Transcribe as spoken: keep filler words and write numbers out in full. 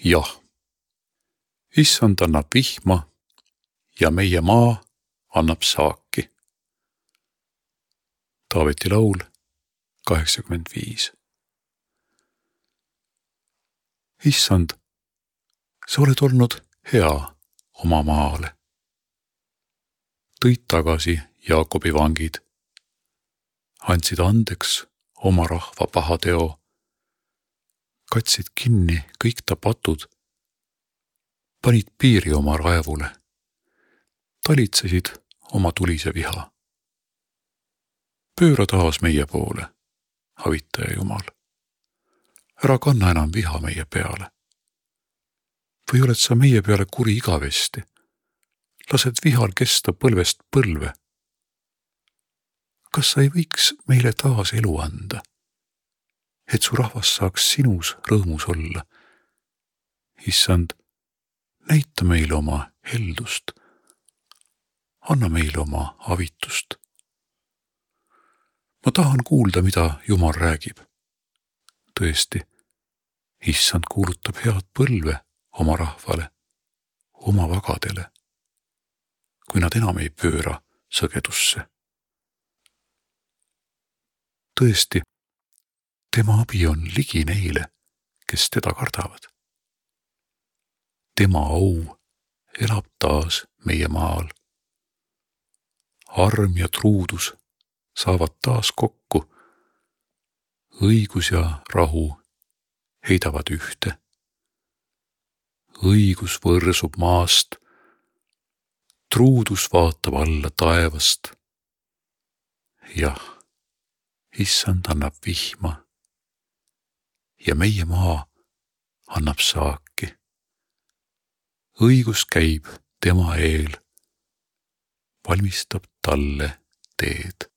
Jah, issand annab vihma ja meie maa annab saaki. Taaveti laul kaheksakümmend viis. Issand, sa oled olnud hea oma maale. Tõid tagasi Jaakobi vangid, andsid andeks oma rahva pahateo, katsid kinni kõik ta patud, panid piiri oma raevule, talitsesid oma tulise viha. Pööra taas meie poole, avitaja Jumal. Ära kanna enam viha meie peale. Või oled sa meie peale kuri igavesti? Lased vihal kesta põlvest põlve. Kas sa ei võiks meile taas elu anda, et su rahvas saaks sinus rõõmus olla? Issand, näita meile oma heldust, anna meile oma avitust. Ma tahan kuulda, mida Jumal räägib. Tõesti, issand kuulutab head põlve oma rahvale, oma vagadele, kui nad enam ei pööra sõgedusse. Tõesti, tema abi on ligi neile, kes teda kardavad. Tema au elab taas meie maal. Arm ja truudus saavad taas kokku. Õigus ja rahu heidavad ühte. Õigus võrsub maast, truudus vaatab alla taevast. Jah, issand annab vihma ja meie maa annab saaki. Õigus käib tema eel, valmistab talle teed.